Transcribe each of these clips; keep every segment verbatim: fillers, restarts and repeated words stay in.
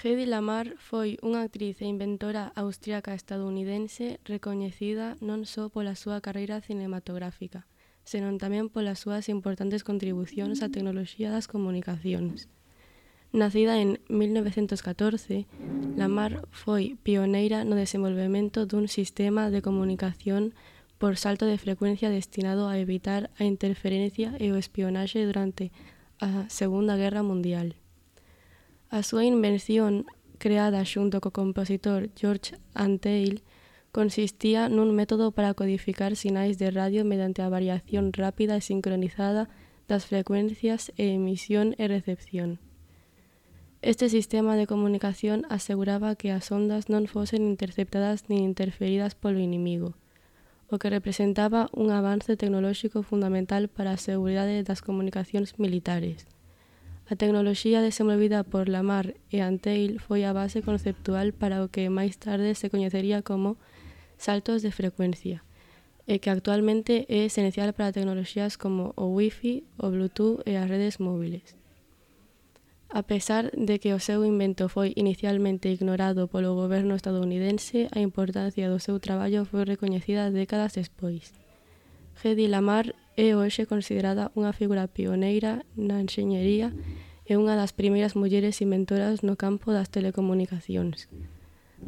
Hedy Lamarr foi unha actriz e inventora austríaca estadounidense recoñecida non só pola súa carreira cinematográfica, senón tamén polas súas importantes contribucións á tecnoloxía das comunicacións. Nacida en mil novecentos catorce, Lamarr foi pioneira no desenvolvemento dun sistema de comunicación por salto de frecuencia destinado a evitar a interferencia e o espionaxe durante a Segunda Guerra Mundial. A súa invención, creada xunto co compositor George Antheil, consistía nun método para codificar sinais de radio mediante a variación rápida e sincronizada das frecuencias e emisión e recepción. Este sistema de comunicación aseguraba que as ondas non fosen interceptadas nin interferidas polo inimigo, o que representaba un avance tecnolóxico fundamental para a seguridade das comunicacións militares. A tecnoloxía desenvolvida por Lamarr e Antheil foi a base conceptual para o que máis tarde se coñecería como saltos de frecuencia, e que actualmente é esencial para tecnoloxías como o Wi-Fi, o Bluetooth e as redes móviles. A pesar de que o seu invento foi inicialmente ignorado polo goberno estadounidense, a importancia do seu traballo foi recoñecida décadas despois. Hedy Lamarr é hoxe considerada unha figura pioneira na enxeñería e unha das primeiras mulleres inventoras no campo das telecomunicacións.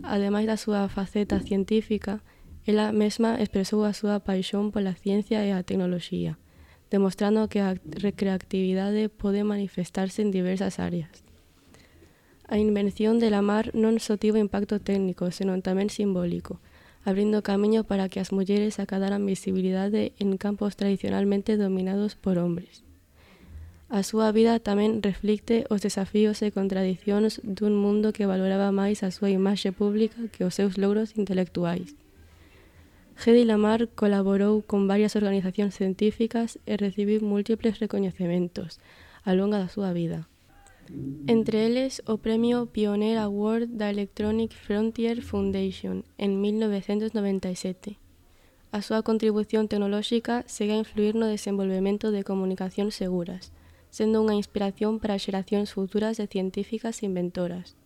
Ademais da súa faceta científica, ela mesma expresou a súa paixón pola ciencia e a tecnoloxía, demostrando que a creatividade pode manifestarse en diversas áreas. A invención de Lamarr non só tivo impacto técnico, senón tamén simbólico, abrindo camiño para que as mulleres acadaran visibilidade en campos tradicionalmente dominados por hombres. A súa vida tamén reflicte os desafíos e contradicións dun mundo que valoraba máis a súa imaxe pública que os seus logros intelectuais. Hedy Lamarr colaborou con varias organizacións científicas e recibiu múltiples recoñecementos ao longo da súa vida. Entre eles, o Premio Pioneer Award da Electronic Frontier Foundation en mil novecentos noventa e sete. A súa contribución tecnolóxica segue a influir no desenvolvemento de comunicacións seguras, sendo unha inspiración para xeracións futuras de científicas e inventoras.